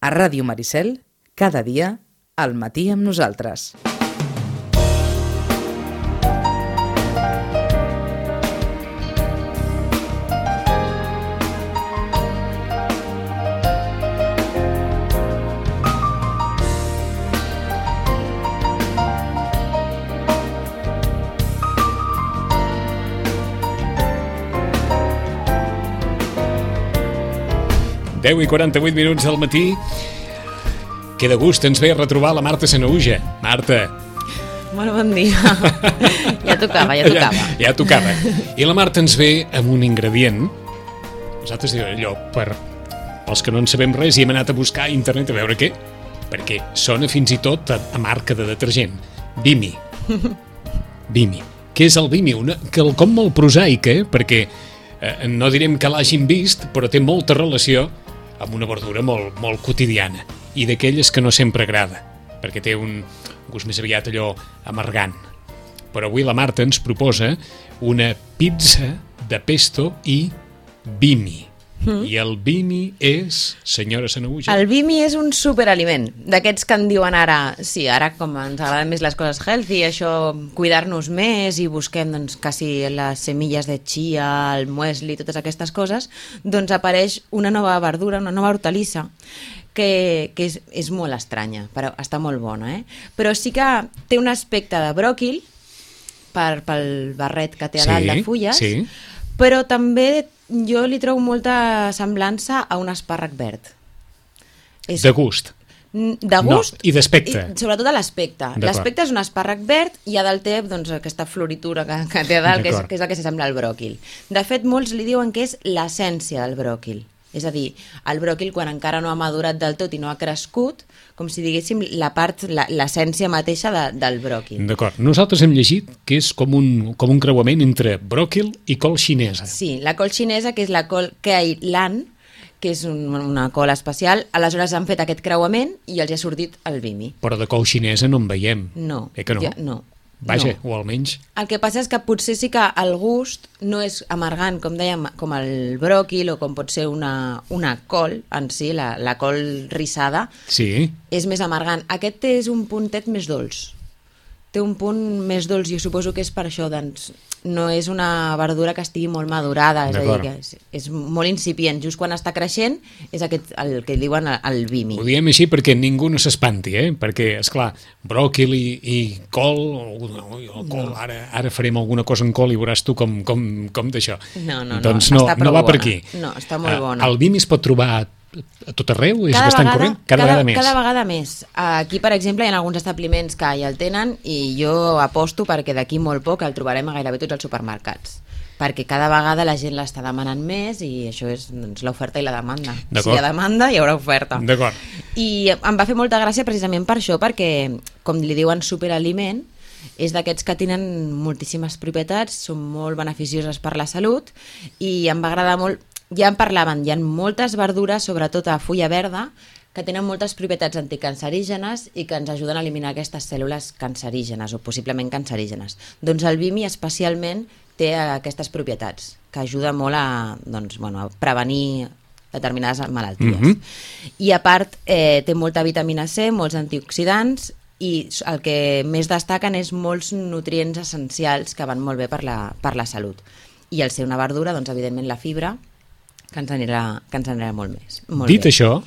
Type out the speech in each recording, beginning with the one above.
A Ràdio Maricel, cada dia, al matí amb nosaltres. Deu i 48 minuts del matí. Que de gust ens ve retrobar la Marta Sanahuja. Marta. Molt bon dia. Ja tocava. Ja tocava. I la Marta ens ve amb un ingredient. Nosaltres diuen allò, pels que no en sabem res, i hem anat a buscar a internet a veure què. Perquè sona fins i tot a marca de detergent. Vimy. Vimy. Què és el Vimy? Quelcom molt prosaic, perquè no direm que l'hagin vist, però té molta relació amb una verdura molt quotidiana i d'aquelles que no sempre agrada, perquè té un gust més aviat allò amargant. Però avui la Marta ens proposa una pizza de pesto i Vimy. I el Vimy és, senyora Sanahuja? El Vimy és un superaliment, d'aquests que en diuen ara, sí, ara com ens agraden més les coses healthy, això, cuidar-nos més i busquem doncs, quasi les semilles de chia, el muesli, totes aquestes coses, doncs apareix una nova verdura, una nova hortalissa, que és molt estranya, però està molt bona, Però sí que té un aspecte de bròquil, pel barret que té a dalt de fulles, sí. Però també jo li trobo molta semblança a un espàrrec verd. De gust? De gust? No, i d'aspecte? Sobretot a l'aspecte. L'aspecte és un espàrrec verd i a dalt té doncs, aquesta floritura que té a dalt, que és el que s'assembla al bròquil. De fet, molts li diuen que és l'essència del bròquil. És a dir, el bròquil, quan encara no ha madurat del tot i no ha crescut, com si diguéssim l'essència mateixa del bròquil. D'acord. Nosaltres hem llegit que és com un creuament entre bròquil i col xinesa. Sí, la col xinesa, que és la col Kei Lan, que és una col especial, aleshores han fet aquest creuament i els ha sortit el Vimy. Però de col xinesa no en veiem. No. Que no? No. Vaja, o almenys... El que passa és que potser sí que el gust no és amargant, com dèiem, com el bròquil o com pot ser una col en si, la col rissada. Sí. És més amargant. Aquest és un puntet més dolç. Té un punt més dolç, jo suposo que és per això, doncs no és una verdura que estigui molt madurada, és a dir, que és molt incipient. Just quan està creixent és el que diuen el Vimy. Ho diem així perquè ningú no s'espanti, perquè, esclar, bròquil i col, col ara farem alguna cosa en col i veuràs tu com d'això. No, doncs no va per aquí. No, està molt bona. El Vimy es pot trobar a tot arreu? És bastant corrent? Cada vegada més. Cada vegada més. Aquí, per exemple, hi ha alguns establiments que ja el tenen i jo aposto perquè d'aquí molt poc el trobarem a gairebé tots els supermercats. Perquè cada vegada la gent l'està demanant més i això és l'oferta i la demanda. Si hi ha demanda, hi haurà oferta. D'acord. I em va fer molta gràcia precisament per això, perquè, com li diuen superaliment, és d'aquests que tenen moltíssimes propietats, són molt beneficioses per la salut i em va agradar molt. Ja en parlaven, hi ha moltes verdures, sobretot a fulla verda, que tenen moltes propietats anticancerígenes i que ens ajuden a eliminar aquestes cèl·lules cancerígenes o possiblement cancerígenes. Doncs el Vimy especialment té aquestes propietats, que ajuda molt a prevenir determinades malalties. I a part té molta vitamina C, molts antioxidants i el que més destaquen és molts nutrients essencials que van molt bé per la salut. I al ser una verdura, doncs evidentment la fibra, que ens anirà molt més. Dit això,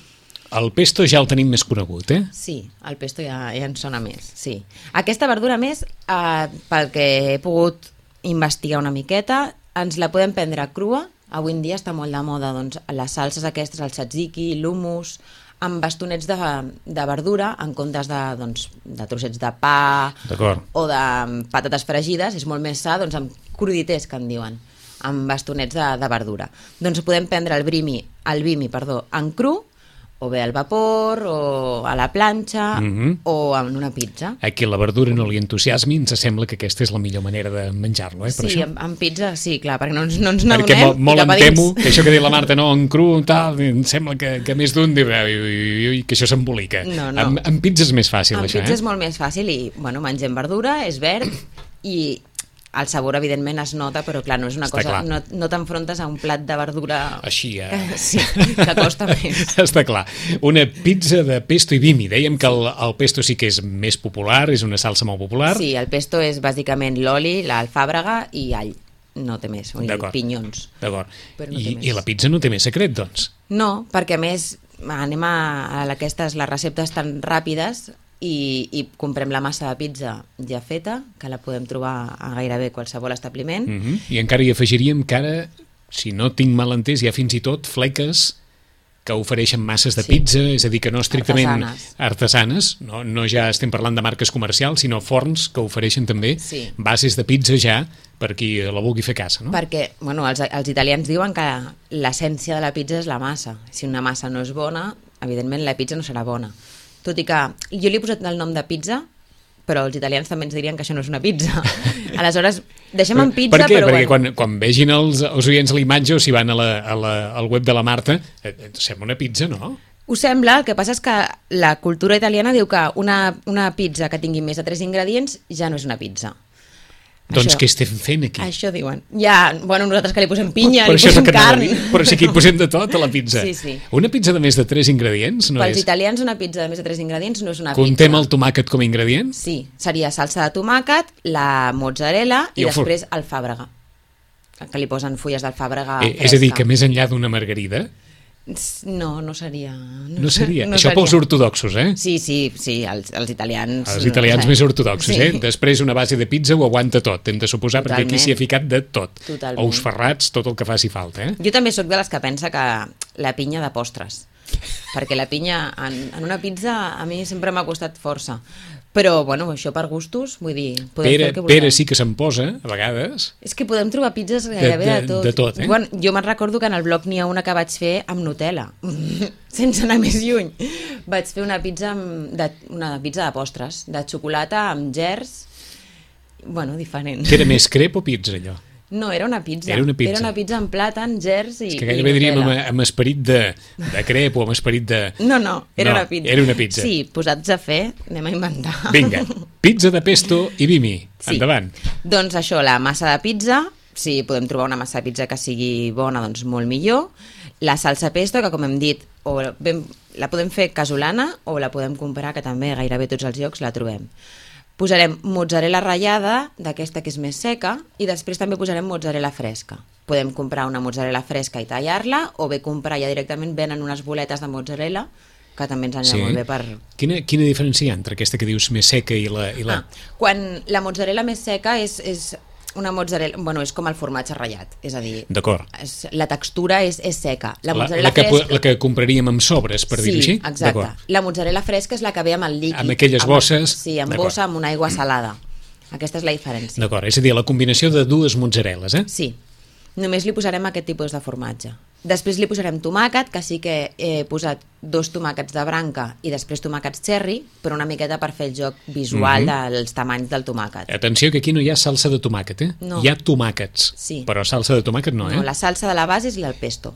el pesto ja el tenim més conegut, Sí, el pesto ja ens sona més, sí. Aquesta verdura més, pel que he pogut investigar una miqueta, ens la podem prendre crua. Avui en dia està molt de moda doncs, les salses aquestes, el tzatziki, l'hummus, amb bastonets de verdura en comptes de trossets de pa o de patates fregides. És molt més sa, amb cruditers, que en diuen, amb bastonets de verdura. Doncs podem prendre el Vimy en cru, o bé al vapor, o a la planxa, o en una pizza. A qui la verdura no li entusiasmi, ens sembla que aquesta és la millor manera de menjar-lo, per això? Sí, en pizza, sí, clar, perquè no ens n'adonem. Perquè molt em temo que això que diu la Marta, no, en cru, tal, em sembla que més d'un diu que això s'embolica. No. En pizza és més fàcil, això, En pizza és molt més fàcil i, mengem verdura, és verd i el sabor, evidentment, es nota, però clar, no és una Està cosa... clar. No t'enfrontes a un plat de verdura... Així, Sí, que costa més. Està clar. Una pizza de pesto i bimi. Dèiem que el pesto sí que és més popular, és una salsa molt popular. Sí, el pesto és bàsicament l'oli, l'alfàbrega i all. No té més, i pinyons. D'acord. Però no té més. I la pizza no té més secret, doncs? No, perquè a més anem a aquestes, les receptes tan ràpides i comprem la massa de pizza ja feta, que la podem trobar a gairebé qualsevol establiment. I encara hi afegiríem que ara, si no tinc mal entès, hi ha fins i tot fleques que ofereixen masses de pizza, és a dir, que no estrictament artesanes, no ja estem parlant de marques comercials, sinó forns que ofereixen també bases de pizza ja per qui la vulgui fer casa, no? Perquè, bueno, els italians diuen que l'essència de la pizza és la massa. Si una massa no és bona, evidentment la pizza no serà bona. Tot i que jo li he posat el nom de pizza, però els italians també ens dirien que això no és una pizza. Aleshores, deixem en pizza, per què? però... Perquè quan vegin els oients la imatge o si van al web de la Marta, sembla una pizza, no? Ho sembla, el que passa és que la cultura italiana diu que una pizza que tingui més de 3 ingredients ja no és una pizza. Doncs què estem fent aquí? Això diuen. Ja, bueno, nosaltres que li posem pinya, per li posem carn... Però sí que hi posem de tot a la pizza. Sí. Una pizza de més de 3 ingredients no és... Pels italians una pizza de més de 3 ingredients no és una Contem pizza. el tomàquet com a ingredient? Sí, seria salsa de tomàquet, la mozzarella i després alfàbrega. Que li posen fulles d'alfàbrega fresca. És a dir, que més enllà d'una margarida... No seria. No seria. Això pels ortodoxos, eh? Sí, els italians... Els italians més ortodoxos, Després una base de pizza ho aguanta tot, hem de suposar, perquè aquí s'hi ha ficat de tot. Totalment. Ous ferrats, tot el que faci falta, Jo també sóc de les que pensa que la pinya de postres, perquè la pinya en una pizza a mi sempre m'ha costat força. Però, bueno, això per gustos, vull dir... Pere sí que se'n posa, a vegades. És que podem trobar pizzas gairebé de tot. De tot, Bueno, jo me'n recordo que en el blog n'hi ha una que vaig fer amb Nutella, sense anar més lluny. Vaig fer una pizza de postres, de xocolata amb gers, bueno, diferent. Que era més crep o pizza, allò? No, era una pizza. Era una pizza. Era una pizza amb plàtan, gers i És que gairebé diríem amb esperit de crep o amb esperit de... No, era una pizza. Era una pizza. Sí, posats a fer, anem a inventar. Vinga, pizza de pesto i bimi. Sí. Endavant. Doncs això, la massa de pizza, si podem trobar una massa de pizza que sigui bona, doncs molt millor. La salsa pesto, que com hem dit, la podem fer casolana o la podem comprar, que també gairebé tots els llocs la trobem. Posarem mozzarella ratllada, d'aquesta que és més seca, i després també posarem mozzarella fresca. Podem comprar una mozzarella fresca i tallar-la, o bé comprar ja directament, venen unes boletes de mozzarella, que també ens anirà molt bé per... Quina diferència hi ha entre aquesta que dius més seca i la... Quan la mozzarella més seca és una mozzarella... Bueno, és com el formatge ratllat, és a dir... D'acord. La textura és seca. La mozzarella fresca... La que compraríem amb sobres, per dir-ho així? Sí, exacte. La mozzarella fresca és la que ve amb el líquid. Amb aquelles bosses... Sí, amb bossa, amb una aigua salada. Aquesta és la diferència. D'acord, és a dir, la combinació de dues mozzarelles, eh? Sí. Només li posarem aquest tipus de formatge. Després li posarem tomàquet, que sí que he posat 2 tomàquets de branca i després tomàquets cherry, però una miqueta per fer el joc visual dels tamanys del tomàquet. Atenció que aquí no hi ha salsa de tomàquet, eh? No. Hi ha tomàquets, però salsa de tomàquet no, eh? No, la salsa de la base és el pesto.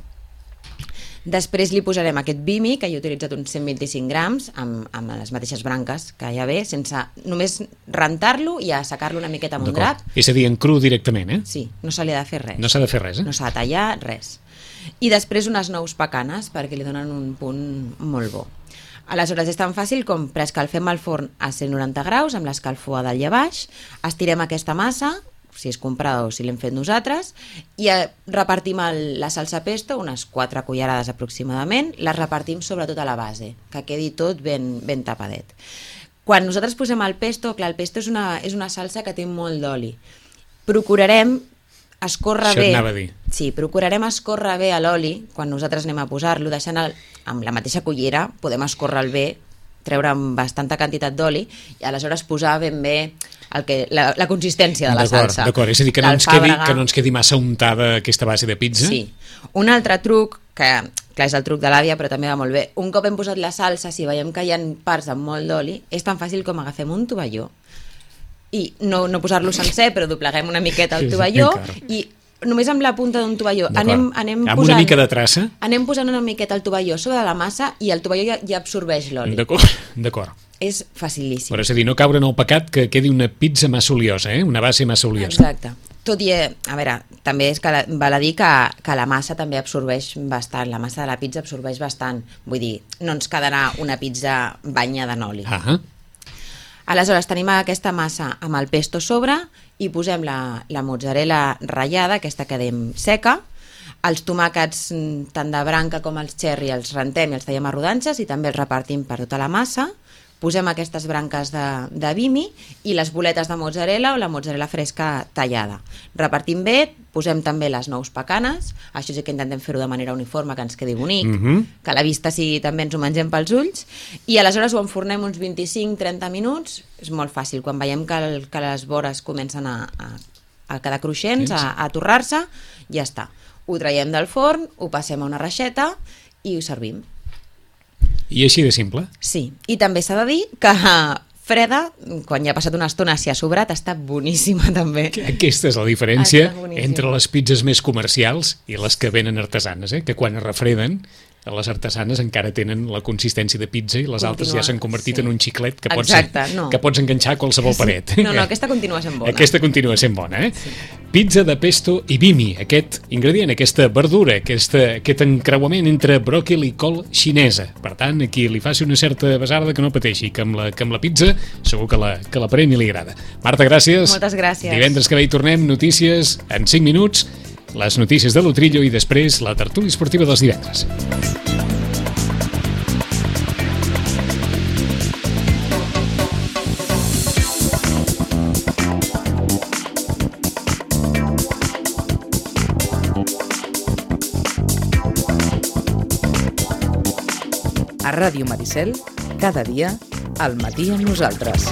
Després li posarem aquest bimi, que he utilitzat uns 125 grams, amb les mateixes branques que ja ve, sense només rentar-lo i assecar-lo una miqueta amb un drap. És a dir, en cru directament, eh? Sí, no se li ha de fer res. No s'ha de fer res, eh? No s'ha de tallar res. I després unes nous pecanes, perquè li donen un punt molt bo. Aleshores és tan fàcil com preescalfem el forn a 190 graus amb l'escalfor a dalt i a baix, estirem aquesta massa, si és comprada o si l'hem fet nosaltres, i repartim la salsa pesto, unes 4 cullerades aproximadament, les repartim sobre tota la base, que quedi tot ben tapadet. Quan nosaltres posem el pesto, clar, el pesto és una salsa que té molt d'oli. Procurarem escórrer bé. Això et anava a dir. Sí, procurarem escórrer bé l'oli quan nosaltres anem a posar-lo, deixant amb la mateixa cullera, podem escórrer bé, treure amb bastanta quantitat d'oli i aleshores posar ben bé la consistència de la salsa. D'acord, és a dir, que no ens quedi massa untada aquesta base de pizza. Sí. Un altre truc, que clar, és el truc de l'àvia, però també va molt bé. Un cop hem posat la salsa, si veiem que hi ha parts amb molt d'oli, és tan fàcil com agafem un tovalló i no posar-lo sencer, però dobleguem una miqueta el tovalló i només amb la punta d'un tovalló anem amb una mica de traça, anem posant una miqueta el tovalló sobre la massa i el tovalló ja absorbeix l'oli. D'acord. és facilíssim. Però és a dir, no caure en el pecat que quedi una pizza massa oliosa, una base massa oliosa. Exacte. Tot i, a veure, també és que val a dir que la massa també absorbeix bastant, la massa de la pizza absorbeix bastant. Vull dir, no ens quedarà una pizza banyada en oli. Aleshores, tenim aquesta massa amb el pesto sobre i posem la mozzarella ratllada, aquesta que dèiem seca, els tomàquets tant de branca com els cherry els rentem i els tallem a rodanxes i també els repartim per tota la massa. Posem aquestes branques de bimi i les boletes de mozzarella o la mozzarella fresca tallada. Repartim bé, posem també les nous pecanes, això sí que intentem fer-ho de manera uniforme, que ens quedi bonic, que a la vista sí també ens ho mengem pels ulls, i aleshores ho enfornem uns 25-30 minuts, és molt fàcil, quan veiem que les vores comencen a quedar cruixents, a torrar-se, ja està. Ho traiem del forn, ho passem a una reixeta i ho servim. I així de simple? Sí, i també s'ha de dir que freda, quan ja ha passat una estona, si ha sobrat, està boníssima també. Aquesta és la diferència entre les pizzas més comercials i les que venen artesanes, que quan es refreden, les artesanes encara tenen la consistència de pizza i les altres ja s'han convertit en un xiclet que pots enganxar a qualsevol paret. No, aquesta continua sent bona. Aquesta continua sent bona, Sí. Pizza de pesto i bimi, aquest ingredient, aquesta verdura, aquest encreuament entre bròquil i col xinesa. Per tant, a qui li faci una certa besarda que no pateixi, que amb la pizza segur que la pren i li agrada. Marta, gràcies. Moltes gràcies. Divendres que ve hi tornem, notícies en 5 minuts, les notícies de l'Utrillo i després la tertúlia esportiva dels divendres. A Ràdio Maricel, cada dia, al matí amb nosaltres.